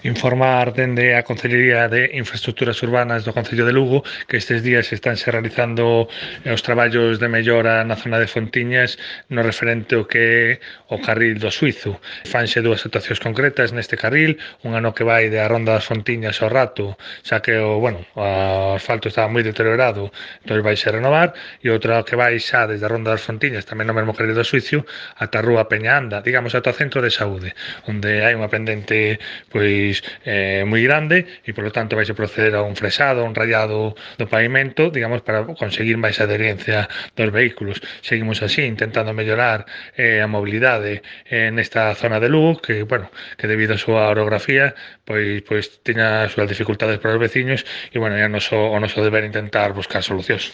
Informar dende a Concellería de Infraestructuras Urbanas do Concello de Lugo que estes días estánse realizando os traballos de mellora na zona de Fontiñas no referente ao que é o carril do Suizo. Fanse dúas actuacións concretas neste carril, unha no que vai de a Ronda das Fontiñas ao Rato, xa que o asfalto estaba moi deteriorado, entón vai se renovar, e outra que vai xa desde a Ronda das Fontiñas, tamén no mesmo carril do Suizo, ata a Rúa Peñaanda, digamos, ata o centro de saúde, onde hai unha pendente pois moi grande e polo tanto vai se proceder a un fresado, a un rayado do pavimento, digamos, para conseguir máis adherencia dos vehículos. Seguimos así intentando mellorar a mobilidade nesta zona de Lugo que debido á súa orografía pois teña as súas dificultades para os veciños e é o noso deber intentar buscar solucións.